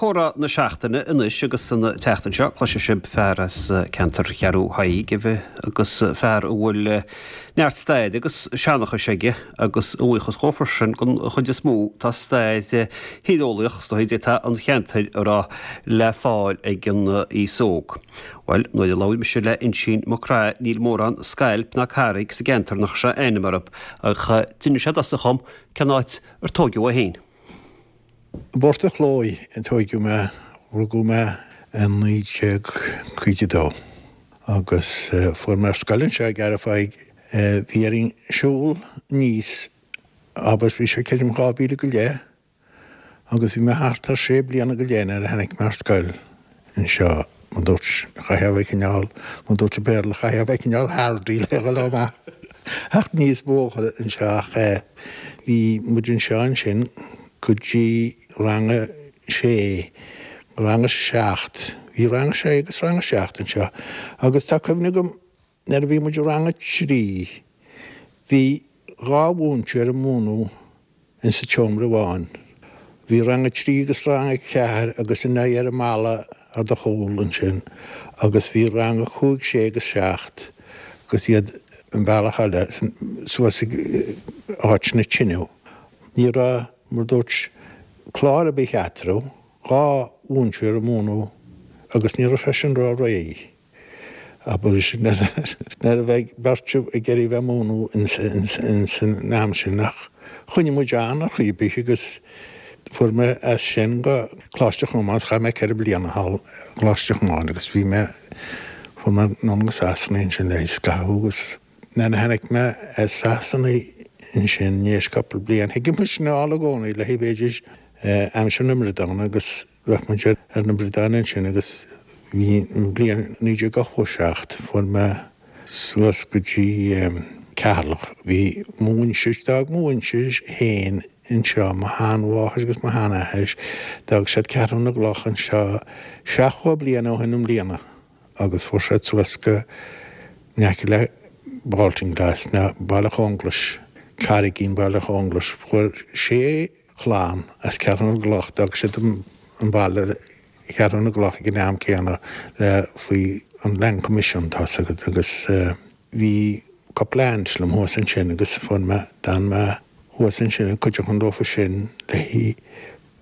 Comhrá na Seachtaine anois agus an tseachtain seo cloisfidh sibh fear as ceantar Cheathrú Thaidhg agus fear a bhfuil neart staire agus seanchais aige agus a bhuíochas dhó freisin don chuid is mó tá stair thíreolaíoch is dóigh an cheantair a rá le fáil ag an aos óg. Bhuel, nuair a labhair mise le Uinsíonn Mac Craith níl mórán scailp ná carraig sa gceantar nach raibh a ainm orthu ach d'inis sé domhsa dhom cén áit ar tóigeadh é féin. I bPort a' Chlóidh a tóigeadh mé, rugadh mé i 1952 agus fuair mé ar scoil anseo i gCeathrú Thaidhg. Bhí orainn siúl aníos, abair, bhí sé creidim 2 mhíle go leith Agus bhí mé thart ar sé bliana go leith nuair a tháinig mé ar scoil anseo, mar dúirt, chaithfeá a bheith cineál, mar dúirt an Béarla, chaithfeá a bheith cineál hardy le dhul amach ach níos bóthar anseo ach eh bhí muid anseo ansin go dtí rang a sé, rang a seacht, bhí rang a sé agus rang a seacht anseo agus tá cuimhne agam nuair a bhí muid i rang a trí bhí 2 mhúinteoir ag múineadh in sa tseomra amháin. Bhí rang a trí agus rang a ceathair agus a n-aghaidh ar an mballa ar do chúl ansin agus bhí rang a cúig, sé agus seacht agus iad an bealach eile suas ag áit na tineadh. Ní raibh, mar dúirt, clár ar bith eatarthu, 2 mhúinteoir ag múineadh agus ní raibh sé sin ró-réidh. Abair sin nuair a bheidh beirt ag iarraidh bheith múineadh ins an am sin ach choinnigh muid ann ar chaoi ar bith agus fuair mé as sin go Coláiste Chomáin, chaith mé 4 bliana thall i gColáiste Chomáin agus bhí mé, fuair mé anonn go Sasana ansin le scaitheamh agus nuair a tháinig mé as Sasana ansin i ndiaidh cúpla bliain, thigeadh muid anall i gcónaí le haghaidh b'fhéidir aimsir na mbradán agus Bheadh muid ar na bradáin ansin agus bhí an bhliain 1987, fuair mé suas go dtí Ceatharlach. Bhí mo mhuintir, d'fhág mo mhuintir féin anseo, mo sheanmháthair agus mo sheanathair, d'fhág siad Ceathrú na gCloch anseo 70 bliain ó shin i mbliana agus fuair siad suas go in aice le Baltinglass, ná Baile Chonglais, Carraigín Baile Chonglais. Fuair sé chlann as Ceathrú na gCloch, d'fhág siad an baile Cheathrú na gCloch ag an am céanna le faoi an Land Commission, tá's agat, agus bhí cúpla aunt liom thuas ansin agus fuair mé, d'fhan mé thuas ansin ag cuideachtain leofa sin le hí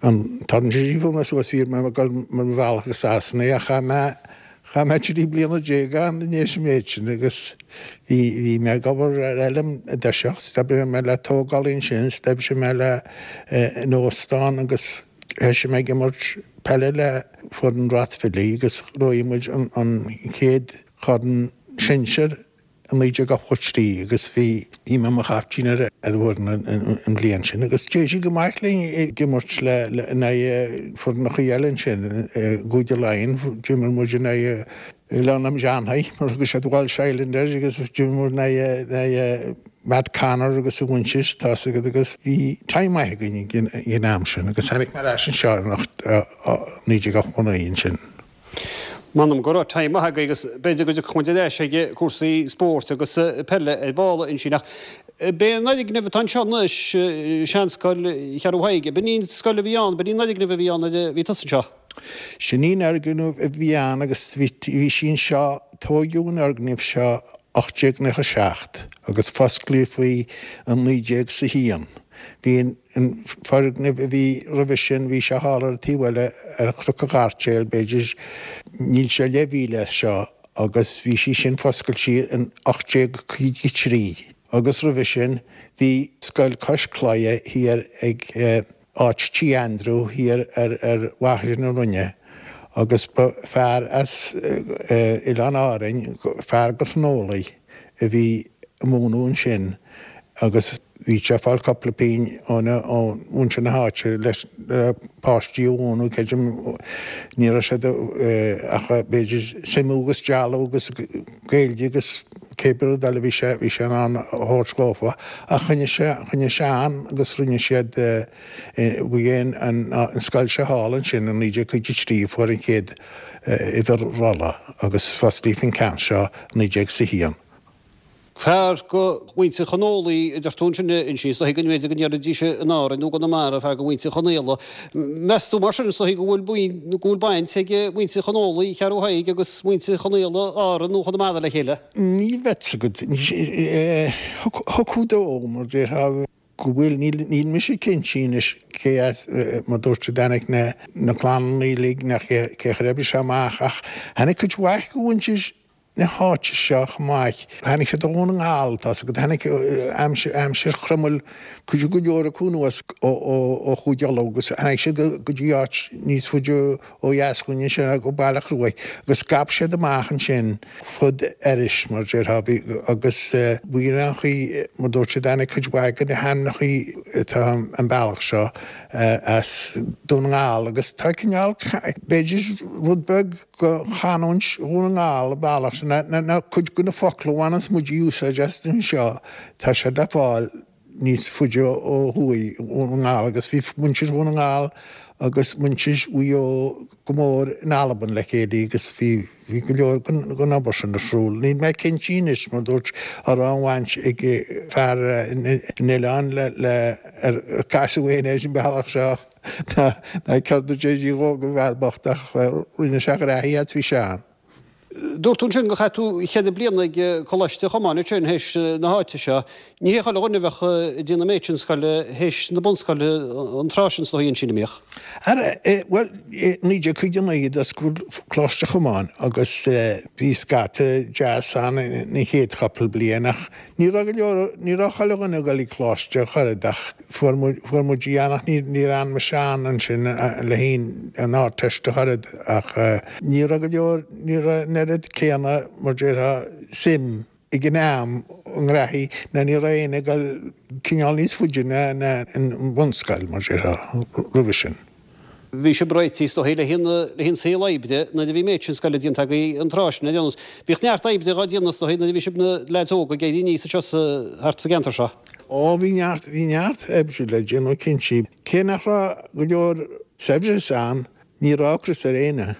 an tarna sí fuair mé suas, bhí mé ag dul mar mo bhealach go Sasana ach chaith mé Chaith mé 13 bliana ann i ndiaidh an méid sin agus bhí, bhí mé ag obair ar fheilm i dtoiseach, d'oibrigh mé le tógálaí ansin, d'oibrigh mé le, in óstán agus thoisigh mé ag imirt peile le foireann Rathvilly agus ghnóthaigh muid an, an chéad chorn sinsir i 1983 agus bhí bhí mé i mo chaiptín ar an bhfoireann an bhliain sin agus d'éirigh go maith linn ag imirt le in aghaidh foirneachaí eile ansin i gCúige Laighean d'imir muid in aghaidh Oileán na Seanchaí mar thug siad Walsh Island air agus d'imir muid in aghaidh Matt Connor agus a mhuintir tá's agat agus bhí time maith againn ag an am sin agus tháinig mé ar ais anseo in 1989 ansin. M'anam go raibh time maith agaibh agus b'fhéidir go dtiocfaidh muid ar ais ag cúrsaí spóirt agus peile ar ball ansin ach b'é an fhoirgneamh atá anseo anois, seanscoil Cheathrú Thaidhg, b'in í an scoil a bhí ann, b'in í an fhoirgneamh a bhí ann nuair a bhí tusa anseo? Sin í an fhoirgneamh a bhí ann agus bhí sí anseo, tóigeadh an fhoirgneamh seo 1897 agus fosclaíodh í in 1901. Bhí an. An foirgneamh a bhí roimhe sin, bhí sé thall ar an taobh eile ar Chnoc an Ghairtéil, b'fhéidir, níl sé leathmhíle as seo, agus bhí sí sin foscailte in 1853. Agus roimhe sin, bhí scoil cois claidhe thiar ag áit Tí Andrew thiar ar ar Mhachaire na Rinne, agus ba fear as Oileán Árainn, fear go Thnólaigh, a bhí ag múineadh ansin agus bhí sé ag fáil cúpla pingin ó mhuintir na háite leis na páistí a mhúineadh, creidim, ní raibh siad ach b'fhéidir suimiú agus dealú agus Gaeilge agus cé bith rud eile bhí sé, bhí sé in ann a thabhairt dhófa ach choinnigh sé, choinnigh sé ann agus rinne siad, bhí an, an scoil seo thall ansin i 1953 a fuair an chéad uimhir rolla agus fosclaíodh an ceann seo i 1901. Fear go mhuintir Chonólaigh a deir tú ansin a Uinsí, is dóichí go mb'fhéidir go ndéarfaidís in Árainn nó i gConamara, fear go mhuintir Chonaola. Meas tú mar sin is dóichí go bhfuil go bhfuil baint ag muintir Chonólaigh Cheathrú Thaidhg agus muintir Chonaola Árann nó Chonamara le chéile? Níl a fhios agat. Thiocfadh dó, mar déarfá, go bhfuil. Níl mise cinnte anois cé as, mar dúirt a dtáinig na na clanna uilig ná cé cé a oibrigh sé amach ach tháinig cuid mhaith go mhuintir na háite seo chomh maith. Tháinig siad ó Dhún na nGall, tá's agat, tháinig aimsir, aimsir Chromail, cuid go leor acu anuas ó Chúige Uladh agus tháinig siad go dtí áit níos faide ó dheas dhúinn ansin, go Baile Chruaich, agus scaip siad amach ansin fud Iorrais, mar déarfá, bhí, agus b'in an chaoi, mar dúirt siad, tháinig cuid mhaith de na hainmneachaí atá an bealach seo as Dún na nGall agus tá cineál, b'fhéidir rud beag, go chanúint Dhún na nGall an bealach sin, na cuid de na focla a bhaineanns muid úsáid astu anseo, tá siad le fáil níos faide ó thuaidh i nDún na nGall agus bhí muintir Dhún na nGall agus muintir Mhaigh Eo go mór in Albain le chéile agus bhí bhí go leor den obair sin ar siúl. Níl mé cinnte anois mar dúirt an raibh aon bhaint ag fear an oileáin le le ar casadh éinne ar an bealach seo. Ná céard a déarfaí dhó go bhfear bocht ach rinne sé graithí as bhí sé ann. Dúirt tú ansin gur chaith tú cheithre bliana ag Coláiste Chomáin ansin théis na háite seo. Ní hé chuile dhuine a bheadh ag déanamh an méid sin scoile théis na bunscoile an tráth sin is dóigh ansin, an mbíodh? Ara, bhuel, i 1959 d'oscail Coláiste Chomáin agus bhí scata deas ann na chéad chúpla bliain ach ní raibh go leor, ní raibh chuile dhuine ag dul ag coláiste ach oiread ach Fuair muid, fuair muid í ann ach ní, níor fhan mise ann ansin le haghaidh an Ardteist ach oiread ach ní raibh go leor, ní raibh an oiread céanna mar déarfá suim ag an am i ngraithí ná ní raibh éinne ag dul cineál níos faide ná ná an bhunscoil mar déarfá roimhe sin. Bhí sibh réitithe is dóichí le haghaidh an saol oibre nuair a bhí an méid sin scoile déanta agaibh an tráth sin ar aon nós. Bhíodh neart oibre dhá déanamh is dóichí nuair a bhí sibh ina leaids óga ag éirí aníos anseo sa, thart sa gceantar seo. Ó bhí neart, bhí neart oibre le déanamh cinnte. Cé nach raibh go leor saibhreas ann, ní raibh ocras ar éinne.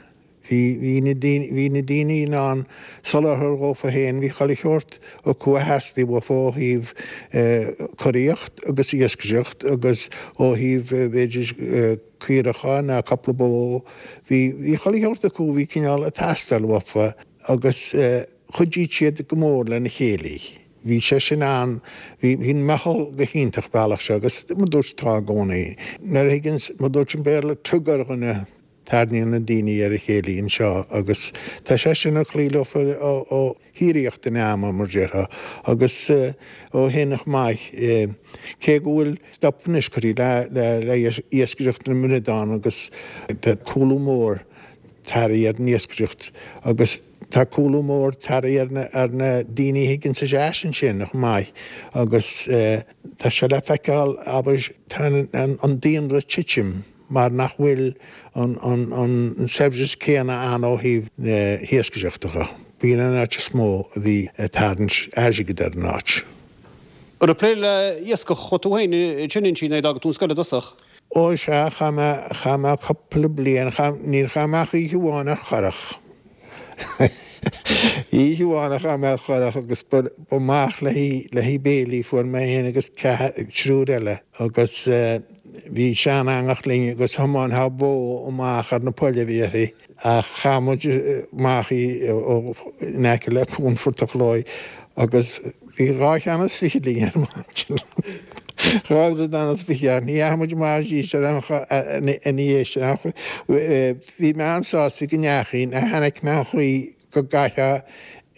Bhí, bhí na daoine, bhí na daoine in ann soláthar dhófa féin, bhí chuile shórt acu a theastaigh uafa ó thaobh curaíocht agus iascaireacht agus ó thaobh b'fhéidir caoracha ná cupla bó, bhí, bhí chuile shórt acu a bhí cineál ag teastáil uafa agus chuidigh siad go mór lena chéile. Bhí sé sin ann, bhí, bhí an meitheal go hiontach bealach seo agus mar dúirt tá i gcónaí. Nuair a thigeanns, mar dúirt an Béarla, tug ar dhuine, Tarraingíonn na daoine ar a chéile anseo agus tá sé sin ag cloí leofa ó shíoraíocht an ama, mar déarfá, agus ó shin chomh maith. Cé go bhfuil stop anois curtha le hiascaireacht na mbradán agus tá cúlú mór tagtha ar an iascaireacht agus tá cúlú mór tagtha ar na daoine a thigeanns isteach ansin chomh maith agus tá sé le feiceáil, abair, tá an daonra ag titim. mar nach bhfuil an saibhreas céanna ann ó thaobh na hiascaireachta dhe. B'in an áit is mó a bhí ag tarraingt airgid ar an áit. An raibh plé le iascach agat tú féin ansin Uinsí nuair a d'fhága tú an scoil i dtosach? Ó sea, chaith mé, chaith mé cúpla bliain, chaith, níor chaith mé ach oíche amháin ar churach. Oíche amháin a chaith mé ar churach agus ba amach le haghaidh béilí fuair mé féin agus ceathrar, triúr eile agus Bhí sean-eangach linn agus thiomáinfeá bó amach ar na poill a bhí uirthi ach chaith muid amach í in aice le Cuan Phort a' Chlóidh agus bhí dhá cheann is fichid linn ar maidin. Dhá bhradán is fiche ach ní dheachaigh muid amach arís ar aon chor ina dhiaidh sin ach bhí mé an-sásta go ndeachaigh, chonaic mé an chaoi go gcaithfeá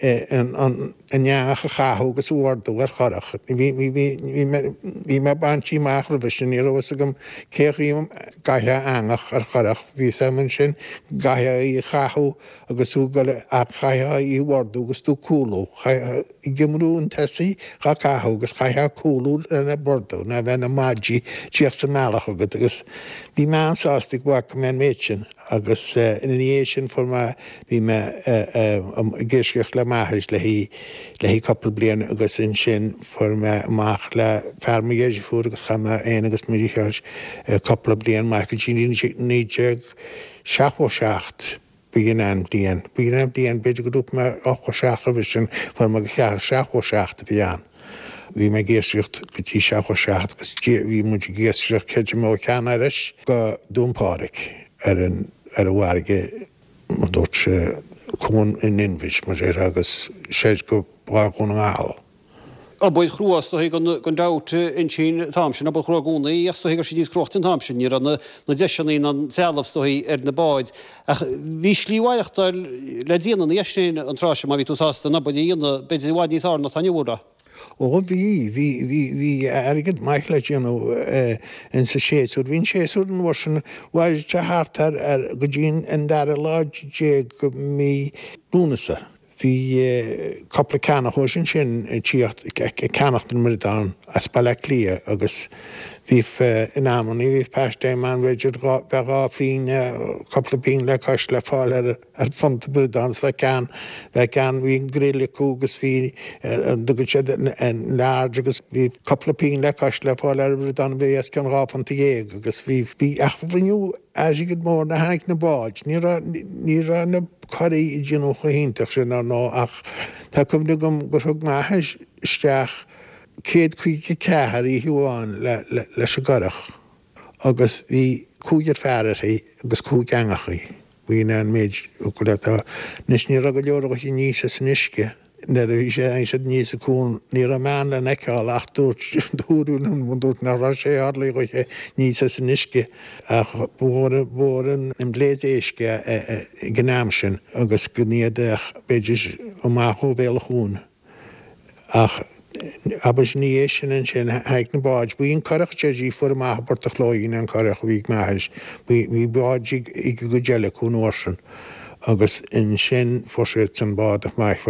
an eangach a chaitheamh agus a bhordú ar churach. Bhí mé bainte amach roimhe sin, ní raibh fhios agam cé chaoi a gcaithfeá eangach ar churach. Bhí fhios agam ansin go gcaithfeá í a chaitheamh agus tú ag dul ach chaithfeá í a bhordú agus tú ag cúlú. Chaithfeá ag iomrú an tosaigh dhá caitheamh agus chaithfeá cúlú lena bordú ná bheith na maidí tíocht sa mbealach agat agus bhí mé an-sásta go bhfaca mé an méid sin. Agus ina dhiaidh sin fuair mé, bhí mé ag iascaireacht le m'athair le haghaidh cúpla bliain agus ansin fuair mé amach le fear mo dheirfiúr agus chaith mé féin agus mo dheartháir cúpla bliain maith go dtí 1977. B'in an bhliain. B'in an bhliain, b'fhéidir go dúirt mé 87 roimhe sin, fuair mé go ceathair, 77 a bhí ann. Bhí mé ag iascaireacht go dtí 77 agus bhí muid ag iascaireacht creidim ó Cheann Iorrais go Dún Pádraig ar an ar an bhfarraige mar dúirt sé Cuan an Inbhir mar a déarfá agus soir go Barr Dhún na nGall. Obair chrua is dóigh gan dabht ansin an t-am sin, obair chrua i gcónaí ach is dóigh go raibh sí níos cruachtaí an t-am sin, ní raibh na deiseanna ná an trealamh is dóigh ar na báid ach bhí slí mhaireachtáil le déanamh ina dhiaidh sin an tráth sin má bhí tú sásta an obair a dhéanamh, b'fhéidir i bhfad níos fhearr ná atá inniu, an raibh? Ó bhí, bhí, bhí, bhí airgead maith le déanamh insa séasúr. Bhí an séasúr an uair sin, mhair sé thart ar, ar, go dtí an dara lá déag de mí Lúnasa. Bhí cupla ceannaitheoir ansin ag tíocht ag ceannacht an mbradán as Baile Átha Cliath agus bhí in amannaí bhí paiste ann b'fhéidir bheadh dhá phingin, cupla pingin le cois le fáil ar ar phunta bradán is bheadh ceann bheadh ceann bhí an grill acu agus bhí an dtugann siad an large agus bhí cupla pingin le cois le fáil ar bhradán a bhí os cionn dhá phunta dhéag agus bhí bhí ach rinneadh airgead mór nuair a tháinig na báid ní raibh ní raibh na curaí ag déanamh chomh hiontach sin ar ndóigh ach tá cuimhne agam gur thug m'athair isteach 154 oíche amháin leis an gcurach agus bhí cúigear fear uirthi agus cúig eangachaí. B'in é an méid go leith. Anois ní raibh go leor acu aníos as an uisce. Nuair a bhí sé tháinig siad aníos an cuan ní raibh mbean le feiceáil ach dúirt dúradh liom dúirt nach raibh sé orlaí dhúiche aníos as an uisce ach ba mhór ba mhór an blaise éisc é ag an am sin agus go n-iad ach b'fhéidir amach ó bhéal an chuain ach abair ina dhiaidh sin ansin tháinig na báid b'í an curach Jersey fuair amach i bPort a' Chlóidh an curach a bhí ag m'athair bhí báid ag an gcuid eile acu an uair sin. Agus ansin fuair siad san bád ach maith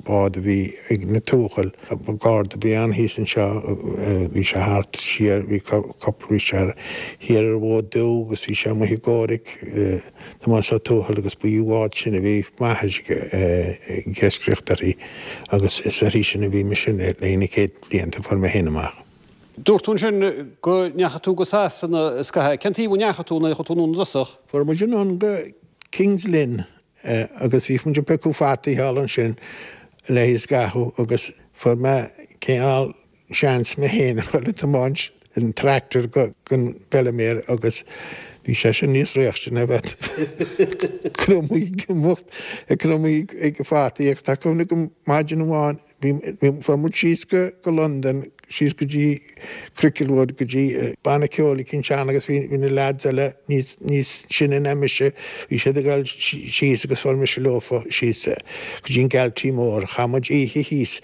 bád a bhí ag na Tuathail, garda a bhí ann thíos anseo, bhí sé thart siar, bhí cúpla, bhí sé thiar ar an bhFód Dubh agus bhí sé amuigh i gComhrac, Tomás Ó Tuathail agus ba í an bhád sin a bhí m'athair ag iascaireacht uirthi agus is uirthi sin a bhí mise le na chéad bhlianta a fuair mé féin amach. Dúirt tú ansin go ndeachaigh tú go Sasana scaitheamh. Cén taobh a ndeachaigh tú nuair a chuaigh tú anonn i dtosach? Fuair muid anonn go King's Lynn agus bhí muid ag piocadh fataí thall ansin le haghaidh scaitheamh agus fuair mé cineál seans mé féin a dhul ag tiomáint an tractor don bhfeilméar agus bhí sé sin níos réachtaí ná bheith cromaí ag imeacht ag cromaí ag fataí agus tá cuimhne agam maidin amháin Bhí, fuair muid síos go, go Londain, síos go dtí Cricklewood, go dtí banna ceoil eicínt ann agus bhí, bhí na leaids eile níos, níos sine ná mise, bhí siad ag dul síos agus fuair mise leofa síos go dtí an Galtee Mór. Chaith muid oíche thíos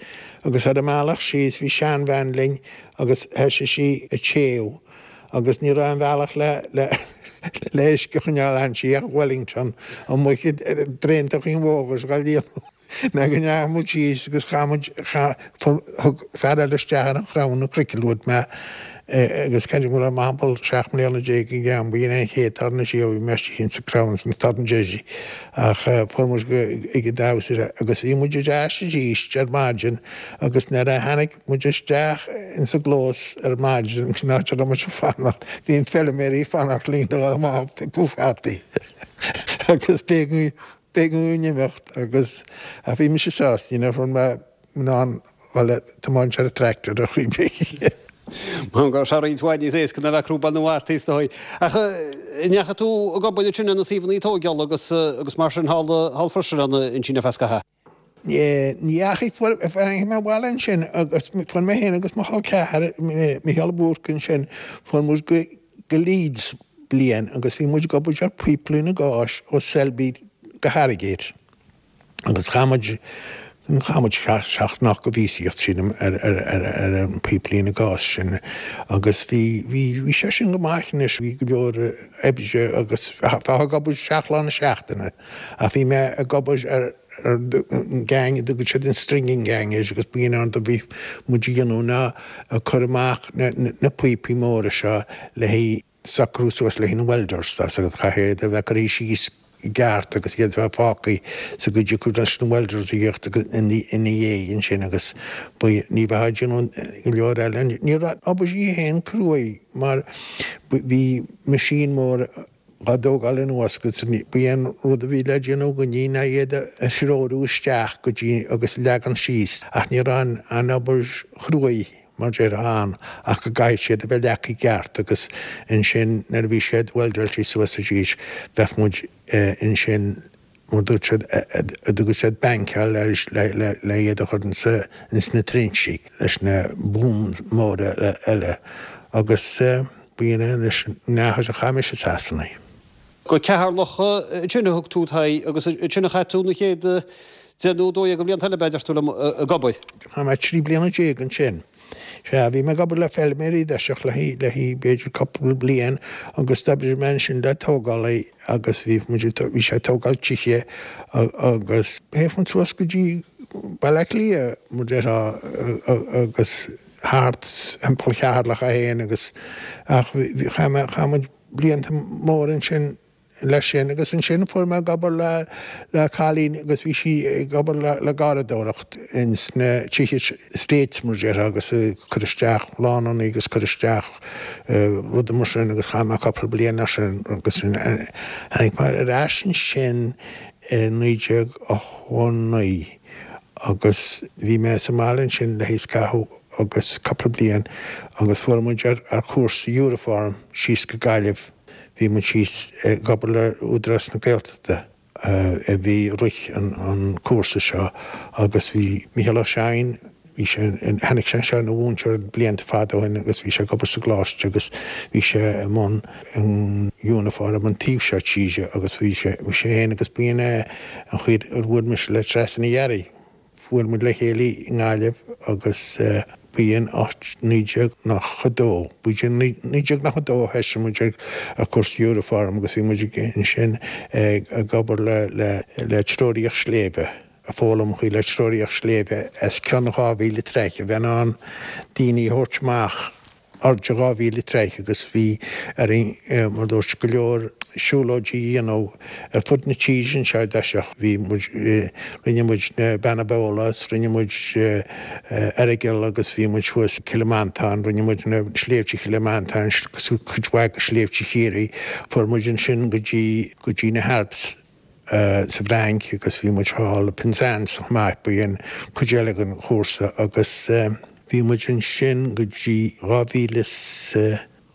agus ar an mbealach síos bhí seanbhean linn agus thoisigh sí ag téamh agus ní raibh aon bhealach le, le, le uisce a choinneáil ainnti ach Wellington amuigh i dtraontachaí an bhóthair is dhá líonadh. Ná go ndeachaigh muid síos agus chaith muid, thug fear eile isteach ar an chrann i Cricklewood mé agus creidim go raibh mé thimpeall 17 mbliana ag an am, b'in é an chéad tarna siar a bhí mé istigh insa crann san Tarn Jersey ach fuair muid go ag an damhsa agus bhí muid ar ais arís ar maidin agus nuair a tháinig muid isteach insa gclós ar maidin san áit a raibh muid ag fanacht bhí an feilméaraí ag fanacht linn le dhul amach ag piocadh fataí agus b'éigean B'éigean dúinn imeacht agus ach bhí mise sásta, you know, fuair mé in ann dhul ag tiomáint ar an tractor ar chaoi ar bith. Go raibh sé roinnt mhaith níos éasca ná bheith ag crúbáil na bhfataí is dóigh. Ach an ndeachaigh tú ag obair ansin ar na suíomhanna tóigeála agus agus mar sin thall thall freisin ansin ar feadh scaithimh? Ní dheachaigh, fuair tháinig mé abhaile ansin agus fuair mé féin agus mo chol ceathar, Micheál Búrc ansin, fuair muid go go Leeds bliain agus bhí muid ag obair ar phíoplíne gáis ó Selby go Harrogate agus chaith muid, chaith muid seacht nó ocht de mhíosaíocht sílim ar ar ar ar an phíoplíne gáis sin agus bhí bhí bhí sé sin go maith anois, bhí go leor oibre agus bheifeá ag obair seacht lá na seachtaine ach bhí mé ag obair ar ar an gang a dtugann siad an stringing gang air agus b'in an rud a bhí muid a dhéanamh ná ag cur amach na píopaí móra seo le haghaidh socrú suas le haghaidh na welders tá agus chaithfeá iad a bheith curtha síos i gceart agus iad a bheith fágtha sa gcuid acu leis na welders a thíocht ina dhiaidh ansin agus ní bheifeá ag déanamh go leor eile. Ní raibh obair í féin cruaidh mar bhí machine mór. Dhá dtógáil anuas agus ba é an rud a bhí le déanamh againne ná iad a threorú isteach go dtí agus leagan síos ach ní raibh an obair chruaidh mar déarfá ann ach go gcaithfidh siad a bheith leagtha i gceart agus ansin nuair a bhí siad weldáilte suas arís bheadh muid ansin mar dúirt siad a dtugadh siad bankáil le le iad a chur ins na trinsí leis na booms móra eile agus b'in é anois an ndeachaigh a chaith mise i Sasana. Go Ceatharlach ansin a thug tú t'aghaidh agus ansin a chaith tú na chéad 10 nó 12 de bhlianta eile b'fhéidir tú liom ag obair. Chaith mé 13 bliana ansin. Sea, bhí mé ag obair le feilméaraí i dtoiseach le le b'fhéidir cúpla bliain agus d'oibrigh mé ansin le tógálaí agus bhí muid ag bhí sé ag tógáil tithe agus théadh muid suas go dtí Baile Átha Cliath mar déarfá agus thart thimpeall Cheatharlach é féin agus ach bhí chaith mé chaith muid blianta móra ansin leis sin agus ansin fuair mé ag obair le le cailín agus bhí sí ag obair le le garradóireacht ins na tithe estates mar déarfá agus ag cur isteach lánanna agus cur isteach rudaí mar sin agus chaith mé cúpla bliain leis sin agus tháinig mé ar ais ansin i 1989 agus bhí mé sa mbaile ansin le scaitheamh agus cúpla bliain agus fuair muid ar ar chúrsa Uniform síos go Gaillimh. Bhí muid síos ag obair le Údarás na Gaeltachta a bhí ag rith an cúrsa seo agus bhí Mícheál Ó Seaghain, bhí sé, tháinig sé anseo ina mhúinteoir blianta fada ó shin agus bhí sé ag obair sa gcoláiste agus bhí sé i mbun an uniform an taobh seo tíre agus bhí sé, bhí sé féin agus b'in é an chaoi ar bhuail mise le Treasa Ní Fhearraigh. Bhuail muid le chéile i nGaillimh agus b'in 1992, b'in 1992 a thoisigh muid ar cúrsa Uniform agus bhí muid ansin ag obair le treoraíocht sléibhe, ag foghlaim an chaoi le treoraíocht sléibhe os cionn 2,000 troigh, a bheith in ann daoine a thabhairt amach. airde 2,000 troigh agus bhí orainn, mar dúirt, go leor siúlóidí a dhéanamh ar fud na tíre anseo i dtoiseach. Bhí muid, rinne muid na Beanna Beola is rinne muid Errigal agus bhí muid thuas Cill Mhantáin, rinne muid na sléibhte Chill Mhantáin agus cuid mhaith de shléibhte Chiarraí. Fuair muid ansin go dtí, go dtí na hAlps. sa bhFrainc agus bhí muid thall i Penzance chomh maith, ba in cuid eile den chúrsa agus bhí muid ansin go dtí 2000 is,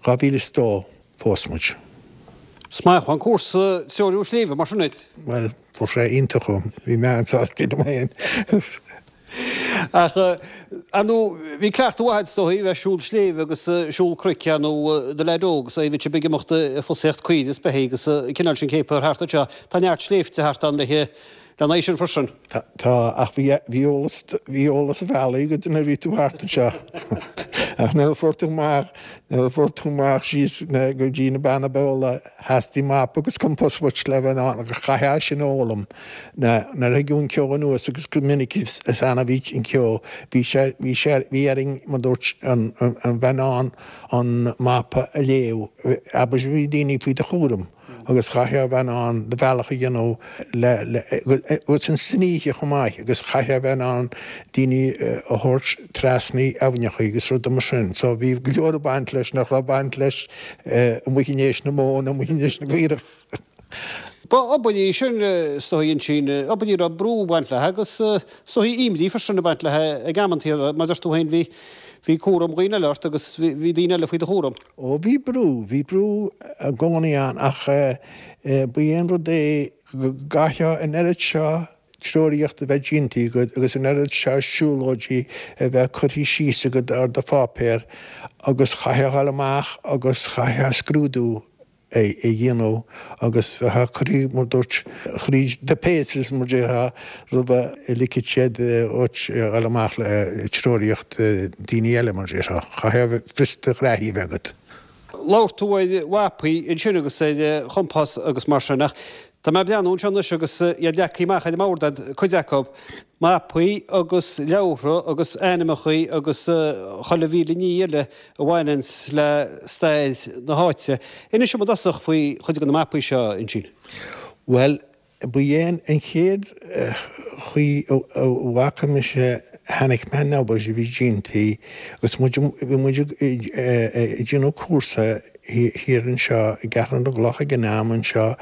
2002 phós muid. Is maith an cúrsa treorú sléibhe mar sin duit. Bhuel, fuair sé iontach uaim, bhí mé an-sásta liom féin. Ach, ar ndóigh, bhí cleachtadh mhaith agat is dóigh, bheith ag siúl sléibhe agus siúl cnoic ar ndóigh i do leaid óg, so bhí sibh ag imeacht ag fosaíocht caoire is beithígh agus an cineál sin céaptha thart anseo. Tá neart sléibhte thart ann le lena aghaidh sin freisin. Tá, ach bhí, bhí eolas, bhí eolas an bhealaigh agat nuair a bhí tú thart anseo. Ach nuair a fuair tú amach, nuair a fuair tú amach síos go dtí na Beanna Beola, Theastaigh mapa agus compás uait le bheith in ann agus chaithfeá sin a fhoghlaim. Nuair a thigeadh an ceo anuas agus go minic is annamh a bhí an ceo, bhí sé, bhí sé, bhí orainn, mar dúirt, an, an bheith in ann an mapa a léamh. Abair bhí daoine faoi do chúram agus chaithfeá a bheith in ann do bhealach a dhéanamh le, le, agus san oíche chomh maith agus chaithfeá a bheith in ann daoine a thabhairt trasna aibhneacha agus rudaí mar sin. So bhí go leor ag baint leis nach raibh baint leis amuigh in éis na móna, amuigh in éis na gcaorach. Ba obair í sin, is dóigh, ansin, obair a raibh brú ag baint léi agus is dóigh imní freisin ag baint léi ag amantaí, mar a deir tú féin, bhí, bhí cúram dhaoine eile ort agus bhí daoine eile faoi do chúram. Ó bhí brú, bhí brú i gcónaí ann ach ba é an rud é go gcaithfeá an oiread seo treoraíocht a bheith déanta agat agus an oiread seo siúlóidí a bheith curtha síos agat ar do pháipéar agus chaithfeá a dhul amach agus chaithfeá scrúdú a dhéanamh agus bheifeá curtha, mar dúirt, thríd the paces, mar déarfá, roimh a ligfeadh siad dhuit a dhul amach le treoraíocht daoine eile, mar déarfá. Chaithfeá fios do ghraithí a bheith agat. Labhair tú ar mhapaí ansin agus ar chompás agus mar sin ach tá mé ag breathnú anseo anois agus iad leagtha amach ar an mbord agat, cuid acu, mapaí agus leabhartha agus ainmneachaí agus chuile mhíle ní eile a bhaineanns le stair na háite. Inis dom i dtosach faoi chuid de na mapaí seo, Uinsín. Bhuel, ba é an chéad chaoi a bhfaca mise. Tháinig mé ar an obair a bhí déanta agus muid, bhí muid ag déanamh cúrsa thiar anseo i gCeathrú na gCloch ag an am anseo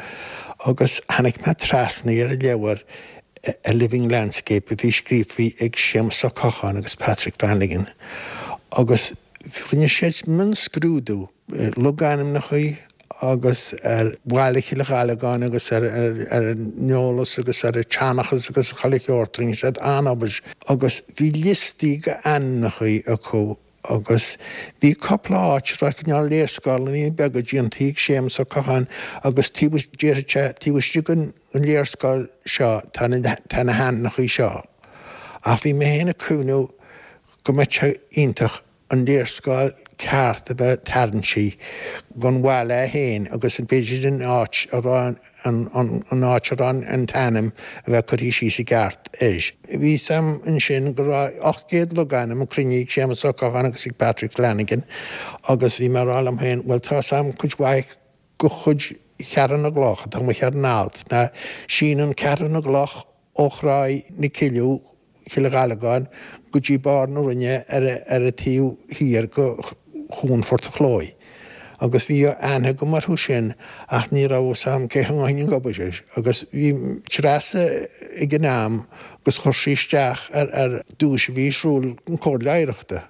agus tháinig mé trasna ar an leabhar A Living Landscape a bhí scríofa ag Séamus Ó Cocháin agus Patrick Flanagan agus rinne siad mionscrúdú ar logainmneacha agus ar bhaile Chill Ghallagáin agus ar an eolas agus ar an tseanchas agus chuile shórt, rinne siad an-obair agus bhí liostaí d'ainmneacha acu agus bhí cúpla áit a raibh cineál léarscáileanna beaga déanta ag Séamus Ó Cocháin agus taobh, déarfadh sé, taobh istigh den léarscáil seo tá na, tá na hainmneacha seo. Ach bhí mé féin ag cuimhniú go mbeadh sé iontach an léarscáil ceart a bheith tarraingthe gon bhaile é féin agus b'fhéidir an áit a raibh an áit a raibh an t-ainm a bheith curtha síos i gceart air. Bhí 'fhios a'm ansin go raibh 800 logainm cruinnithe ag Séamus Ó Cocháin agus ag Patrick Flanagan agus bhí mé ag rá liom féin bhuel tá 'fhios a'm cuid mhaith go chuid Cheathrú na gCloch atá amuigh ar an alt ná síneann Ceathrú na gCloch ó Thráigh na Cille, Cill Ghallagáin, go dtí barr na Rinne ar an taobh thiar go Chuan Phort a' Chlóidh. Agus bhí aithne agam orthu sin ach ní raibh fhios a'm cé a rinne an obair air. Agus bhí Treasa ag an am agus chuir sí isteach ar duais a bhí ar siúl an Comhairle Oidhreachta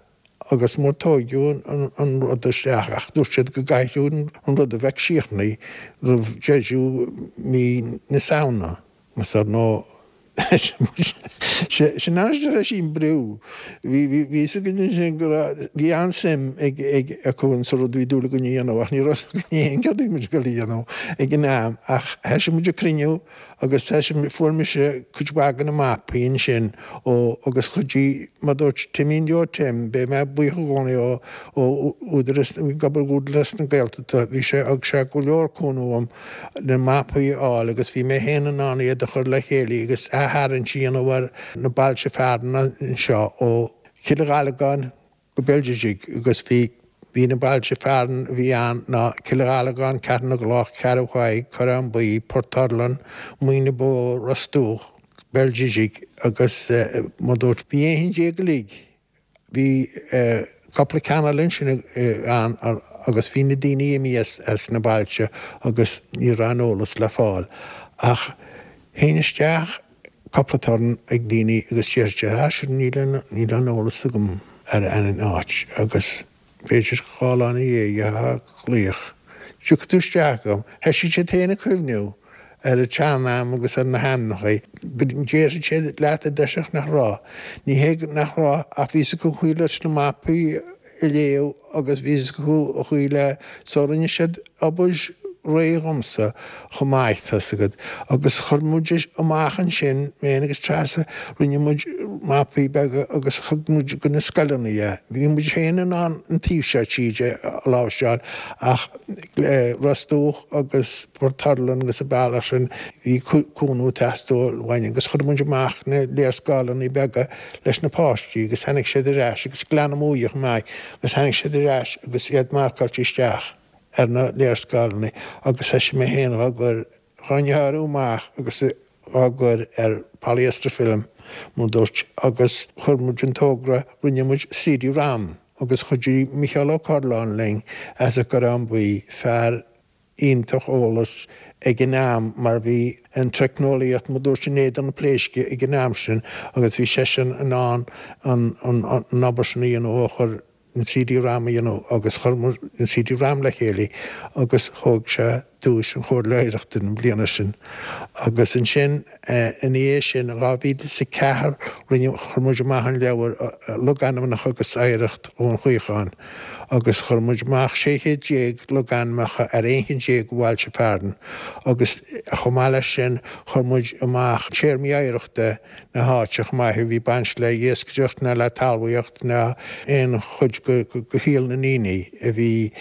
agus mar tóigeadh an rud isteach ach dúirt siad go gcaithfeadh an rud a bheith críochnaithe roimh deireadh mí na Samhna. Agus ar ndóigh, sin an áit a raibh sí an brú. Bhí fhios againn ansin go raibh, bhí an-suim ag, ag, acu in sa rud a bhí dúil againn a dhéanamh ach ní raibh fhios againn féin cad a bhí muid ag dul a dhéanamh ag an am ach thoisigh muid ag cruinniú agus thoisigh, fuair mise cuid mhaith de na mapaí ansin ó, agus chuidigh, mar a dúirt Timín Joe Tim, beidh mé buíoch i gcónaí ó, ó Údarás, ag obair Údarás na Gaeltachta, bhí sé, thug sé go leor cúnamh dom na mapaí a fháil agus bhí mé féin in ann iad a chur le chéile agus aththarraingt a dhéanamh ar na bailte fearainn anseo ó Chill Ghallagáin go Béal Ghiorriaidh agus bhí bhí na bailte fearainn a bhí ann ná Cill Ghallagáin, Ceathrú na gCloch, Ceathrú Thaidhg, Corrán Buí, Port Urlann, Muine na Bó, Ros Dumhach, Béal Ghiorriaidh agus mar dúirt bhí 11 cheann uilig. Bhí cúpla ceann eile ansin ann agus bhí na daoine imithe as na bailte agus ní raibh an eolas le fáil. Ach théinn isteach cúpla turn ag daoine agus déarfadh siad, ah sure níl níl aon eolas agam ar an áit agus b'fhéidir 2 lá ina dhiaidh gheofá glaoch, tiocfaidh tú isteach agam. Thoisigh siad féin ag cuimhniú ar an tsean-am agus ar na hainmneacha. Go ndéarfadh siad leat i dtoiseach nach raibh. Ní hé nach raibh ach bhí 'fhios acu an chaoi leis na mapaí a léamh agus bhí 'fhios acu an chaoi le so rinne siad obair réidh dhomsa chomh maith tá's agat. Agus chuir muid amach ansin, mé féin agus Treasa, rinne muid mapaí beaga agus thug muid go na scoileanna é. Bhí muid féin in ann an taobh seo tíre a láimhseáil ach Ros Dumhach agus Port Urlann agus an bealach sin, bhí cúnamh ag teastáil uainn agus chuir muid amach na léarscáileanna beaga leis na páistí agus tháinig siad ar ais agus Gleann na Muaidhe chomh maith agus tháinig siad ar ais agus iad marcáilte isteach ar na léarscáileanna agus thoisigh mé féin dhá gcur, dhá ngearradh amach agus dhá gcur ar polyester film mar dúirt agus chuir muid an togra, rinne muid CD-ROM agus chuidigh Micheál Ó Cairealláin linn as an gCorrán Buí, fear iontach eolas ag an am mar bhí an teicneolaíocht mar dúirt in éadan na pléisce ag an am sin agus bhí seisean in ann an obair sin a dhéanamh ó chuir an CD-ROM a dhéanamh agus chuir muid an CD-ROM le chéile agus thóg sé duais an Chomhairle Oidhreachta an bliana sin agus ansin ina dhiaidh sin 2004 rinne chuir muid amach an leabhar Logainmneacha agus Oidhreacht Dhún Chaocháin agus chuir muid amach 16 chéad logainmneacha ar 11 cheann de bhailte fearainn agus chomh maith leis sin chuir muid amach téarmaí oidhreachta na háite chomh maith a bhí baint le iascaireacht ná le talmhaíocht ná aon chuid de shaol na ndaoine a bhí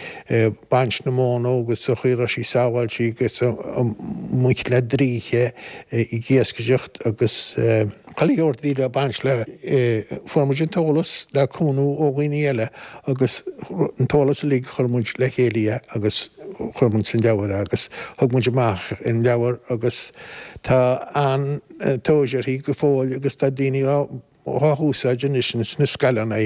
baint na móna agus an chaoi a raibh sí sábháilte agus an mbaint le draoithe ag iascaireacht agus chuile shórt a bhí le baint le. Fuair muid an t-eolas le cúnamh ó dhaoine eile agus an t-eolas uilig chuir muid le chéile é agus chuir muid san leabhar é agus thug muid amach an leabhar agus tá an-tóir uirthi go fóill agus tá daoine á. dhá húsáid anois ins na scoileanna,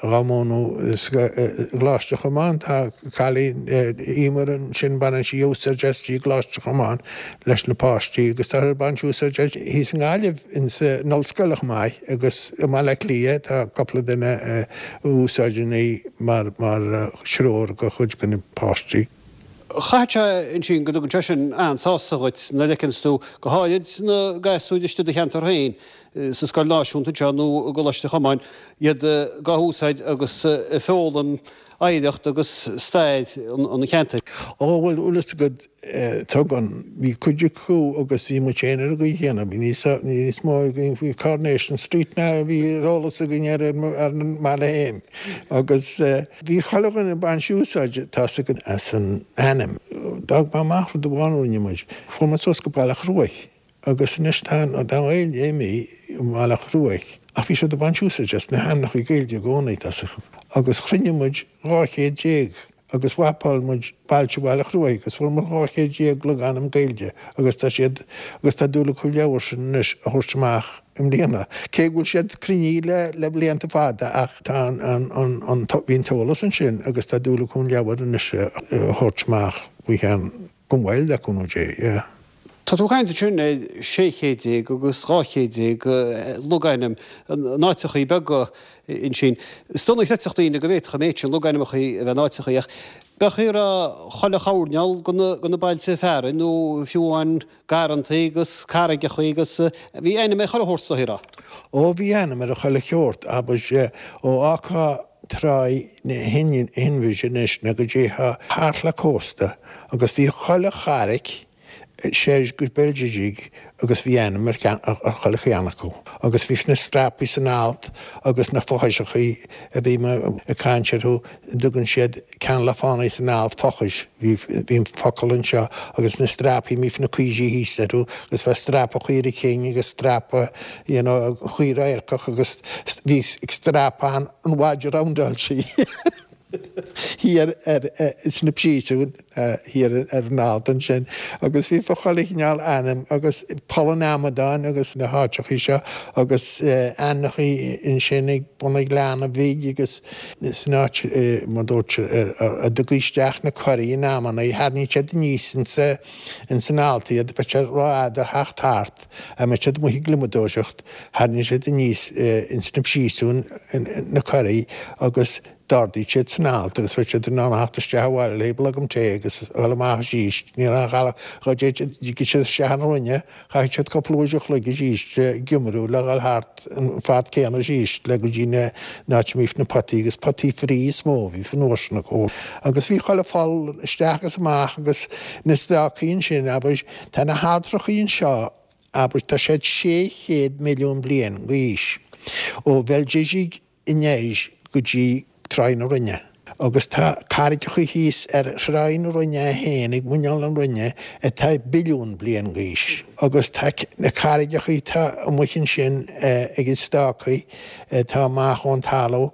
dhá múineadh i gColáiste Chomáin. Tá cailín, Emer ansin, baineann sí úsáid as i gColáiste Chomáin leis na páistí agus tá ag baint úsáid as thíos i nGaillimh ins an ollscoil chomh maith agus i mBaile Átha Cliath tá cúpla duine a úsáideann í mar threoir do chuid de na páistí. Chaithfeadh sé ansin go dtugann sé sin an-sásamh dhuit nuair a fheiceanns tú, go háirid na gasúir istigh i do cheantar féin, sa scoil náisiúnta anseo nó i gColáiste Chomáin, iad dhá húsáid agus ag foghlaim oidhreacht agus stair an cheantair. Ó, bhuel, bhfuil fhios agat, Tugann. Bhí cuid acu agus bhí muid féin ar an gcaoi chéanna. Bhí níos níos mó againn faoi Coronation Street ná a bhí ar eolas againn ar ar an mbaile féin. Agus bhí chuile dhuine ag baint úsáid, tá 'fhios agat, as an ainm. D'fhág mé amach rud amháin a rinne muid. Chuaigh muid suas go Baile Chruaich agus anois tá an Ghaeilge imithe i mBaile Chruaich ach bhí siad ag baint úsáid as na hainmneacha Gaeilge i gcónaí, tá 'fhios agat. Agus chruinnigh muid 200 agus mhapáil muid bailte Bhaile Chruaich agus fuair muid 1200 logainm Gaeilge agus tá siad agus tá dúil acu an leabhar sin anois a thabhairt amach i mbliana. Cé go bhfuil siad cruinnithe le le blianta fada ach tá an an an an bhí an t-eolas ansin agus tá dúil acu an leabhar anois a thabhairt amach faoi cheann gan mhoill le cúnamh Dé, yeah. Tá tú ag caint ansin ar 600 agus 200 logainm in áiteachaí beaga ansin. Is dona a chreidfeadh daoine go bhféadfadh an méid sin logainmneachaí a bheith in áiteachaí ach b'fhéidir go raibh chuile choirneál de na bailte fearainn nó fiú amháin garrantaí agus carraigeachaí agus bhí ainm ar chuile shórt sa raibh. Ó bhí ainm ar chuile sheort, abair, ó fhágfá Tráigh na hInbhir anois nó go dtéifeá thart le cósta agus bhí chuile charraic soir go Béal Gididh agus bhí ainm ar chuile cheann acu. Agus bhí na strapaí san alt agus na fothaiseachaí a bhí mé ag caint orthu, dtugann siad Ceann le fánaí san alt fochais, bhí bhí an focal anseo agus na strapaí mbíodh na coisí thíos orthu agus bheadh strapa chaora cinn agus strapa you know chaoi radharcach agus bhí strapa an an mhaide roundáil sí thiar ar sna príosúin thiar ar an alt ansin agus bhí fá chuile chineál ainm agus Poll an Amadáin agus na háiteachaí seo agus ainmneachaí ansin ag bun an Ghleanna Bhig agus San áit, mar dúirt, a dtugtaí isteach na coirí in amanna, tharraingíodh siad aníos ins an alt iad, bheadh sé rófhada a theacht thart, a mbeadh siad amuigh ag gliomadóireacht, tharraingíodh siad aníos ins na príosúin na coirí agus d'ardaíodh siad san alt agus bheadh siad in ann a theacht isteach abhaile le blogam tae agus a dhul amach arís. Ní raibh aon ghalach, dá dtigeadh siad isteach an Roinne, Chaithfeadh siad cúpla uair a chloig arís ag iomrú le dhul thart an fad céanna arís le go dtí an áit a mbíodh na potaí agus potaí fraoigh is mó a bhí an uair sin acu. Agus bhí chuile pholl isteach agus amach agus na stácaí ansin, abair, tá na hailltreachaí anseo, abair, tá siad 600 milliún bliain d'aois ó Bhéal Gididh anoir go dtí Tráigh na Rinne. Agus tá carraigeacha thíos ar Thráigh na Rinne é féin ag muineál na Rinne atá billiún bliain d'aois. Agus tá na carraigeacha atá amuigh ansin ag an stácaí atá amach ón talamh,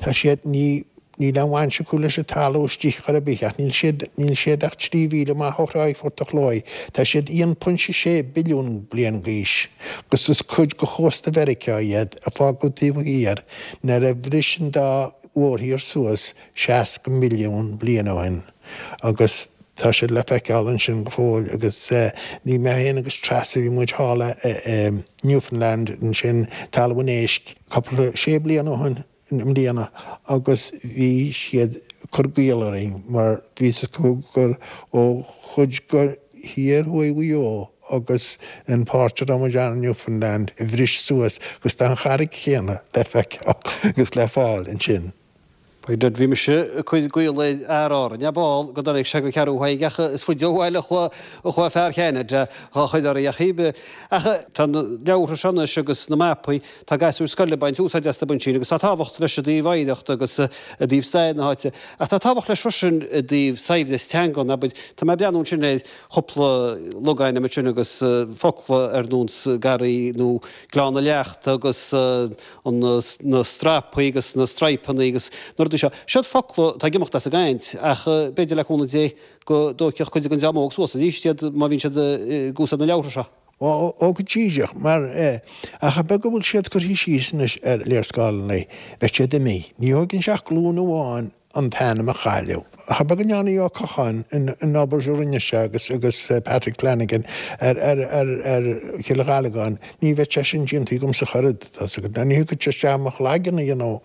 tá siad, ní, níl aon bhaint acu leis an talamh istigh chor ar bith ach níl siad, níl siad ach 3 mhíle amach ó Thráigh Phort a' Chlóidh. Tá siad 1.6 billiún bliain d'aois agus is cuid de chósta Mheiriceá iad. a fágadh taobh thiar nuair a bhris an dá mhórthír suas 60 milliún bliain ó shin agus tá siad le feiceáil ansin go fóill agus bhí mé féin agus Treasa, bhí muid thall i Newfoundland ansin, Talamh an Éisc, cúpla, sé bliana ó shin. i mbliana agus bhí siad ag cur gaol orainn mar bhí fhios acu gur ó chuid de thiar thuaidh Mhaigh Eo agus an pháirt a raibh muid ann i Newfoundland a bhris suas agus tá an charraig chéanna le feiceáil agus le fáil ansin. By dad, bhí mise ag cur gaol ar fhear Árainn, ab áil go dtáinig sé go Ceathrú Thaidhg ach is faide ó bhaile a chuaigh fear Cheanada dhá chuir orainn ach cibé. Ach tá na leabhartha seo anois agus na mapaí, tá gasúir scoile ag baint úsáid astu ansin agus tá tábhacht leis i dtaobh oidhreacht agus i dtaobh stair na háite. Ach tá tábhacht leis freisin i dtaobh saibhreas teangan, abair. Tá mé ag breathnú ansin ar chúpla logainm ansin agus focla ar nós garraí nó Gleann na Leachta agus na strapaí agus na straidhpeanna agus na rudaí seo. Siod focla atá ag imeacht as an gcaint ach b'fhéidir le cúnamh Dé go dtóigfeadh cuid den dream óg suas arís iad má bhíonn siad ag úsáid na leabhartha seo. Ó, ó go díreach, mar eh, ach an beag a bhfuil siad curtha síos anois ar léarscáileanna, beidh siad imithe. Ní thóigeann sé ach glúin amháin an t-ainm a chailleadh. Ach an beag a ndearna Ó Cocháin an obair a rinne sé agus agus Patrick Flanagan ar ar ar ar Chill Ghallagáin, ní bheadh sé sin déanta agamsa ach oiread, tá 's agat. Ní thiocfadh sé isteach i mo chlaigeann a dhéanamh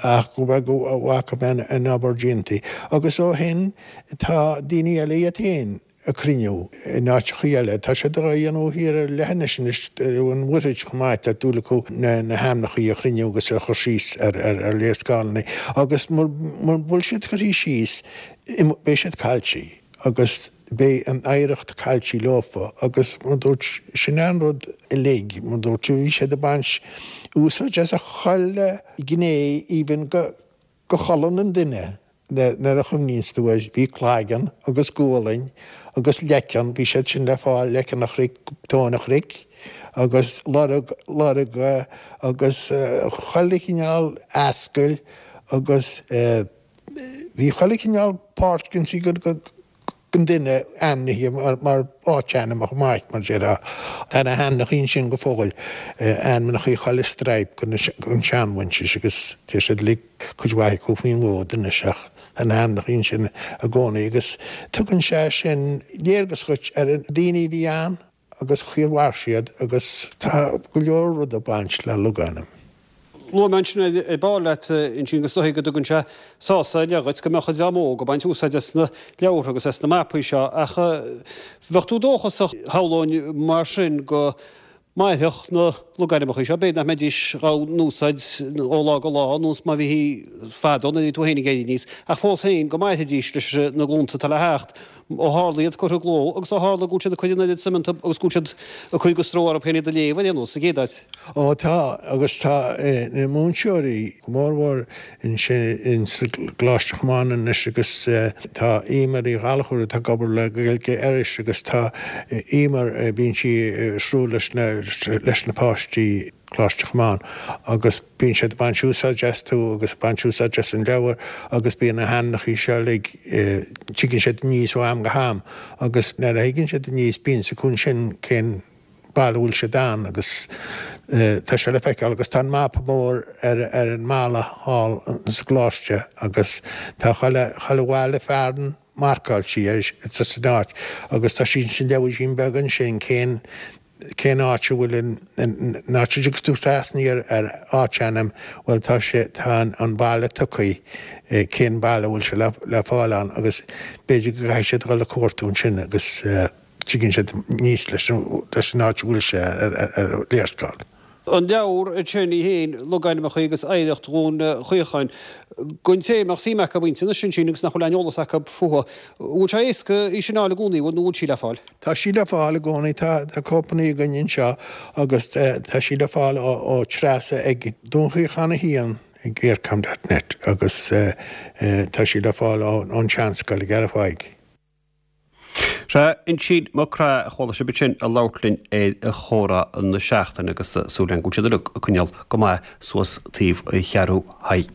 ach go bheadh go bhfaca mé an obair déanta. Agus ó shin tá daoine eile iad féin ag cruinniú in áiteachaí eile. Tá siad á dhéanamh thiar ar leithinis anois ar an Mhuirthead chomh maith, tá dúil acu na hainmneachaí a chruinniú agus a chur síos ar léarscáileanna agus mura bhfuil siad curtha síos beidh siad caillte agus beidh an oidhreacht caillte leofa agus mar dúirt, sin é an rud uilig, mar dúirt, bhí siad ag baint úsáid as chuile ghné even go go cholainn an duine nuair a chuimhníonns tú air, bhí claigeann agus gualainn agus leiceann, bhí siad sin le fáil, leiceann an chnoic, tóin an chnoic agus lorg, lorga agus chuile chineál ascaill agus bhí chuile chineál páirt den den duine ainmnithe mar áitainm chomh maith, mar déarfá. Tá na hainmneachaí ansin go fóill, ainmneachaí chuile straidhp den seanmhuintir agus tá siad uilig, cuid mhaith acu faoin bhfód anois ach tá na hainmneachaí ansin i gcónaí agus tugann sé sin léargas dhuit ar na daoine a bhí ann. agus chaoi ar mhair siad agus tá go leor rud ag baint le logainm. Luaigh mé ansin ar ball leat, Uinsíonn, go is dóichí go dtugann sé sásamh ar leith dhuit go mbeadh an dream óg ag baint úsáid as na leabhartha agus as na mapaí seo ach bheadh tú dóchasach, shamhlóinn, mar sin go mairfeadh na logainmneacha seo, b'fhéidir nach mbeidís á n-úsáid ó lá go lá nós mar a bhítí fadó nuair a bhí tú féin ag éirí aníos ach fós féin go mairfidís leis na glúnta atá le theacht. Ó tharla iad curtha i gcló agus ó tharla go bhfuil siad ag cur an oiread suime iontu agus go bhfuil siad ag cur de stró orthu féin iad a léamh ar aon nós, sa gcéad áit. Ó tá, agus tá na múinteoirí, go mórmhór ansin sa gColáiste Chomáin anois agus tá Emer Uí Ghallchóir atá ag obair le Gaeilge Iorrais agus tá Emer, bíonn sí ag siúl leis na, leis na páistí. Coláiste Chomáin agus bíonn siad ag baint úsáid astu agus ag baint úsáid as an leabhar agus bíonn na hainmneachaí seo uilig, tigeann siad aníos ó am go ham agus nuair a thigeann siad aníos bíonn 's acu ansin cén baile a bhfuil siad ann agus tá sé le feiceáil agus tá an mapa mór ar ar an mballa thall sa gcoláiste agus tá chuile chuile bhaile fearainn marcáilte air san áit agus tá sí sa leabhairín beag ansin cén cén áit a bhfuil an áit a dtiocfas tú trasna ar ar áitainm, bhuel tá sé, tá an baile tugtha, cén baile a bhfuil sé le fáil ann agus b'fhéidir go gcaithfidh siad dul ag cuartú ansin agus tigeann siad aníos leis leis an áit a bhfuil sé ar ar léarscáil. An leabhar ansin í féin, Logainmneacha agus Oidhreacht Dhún Chaocháin, don té a mbeadh suim acu inti anois ansin agus nach bhfuil aon eolas acu fúithi, bhfuil sé éasca í sin a fháil i gcónaí, bhfuil nó bhfuil sí le fáil? Tá sí le fáil i gcónaí, tá cóipeanna againn anseo agus tá sí le fáil ó Treasa ag Dún Chaocháin 1 ag eircom dot net agus tá sí le fáil ón tSeanscoil i gCeathrú Thaidhg. Sea, Uinsíonn Mac Craith a chuala sibh ansin ag labhairt linn ar Chomhrá na Seachtaine agus súil againn go bhfuil siad uilig ag coinneáil go maith suas taobh Cheathrú Thaidhg.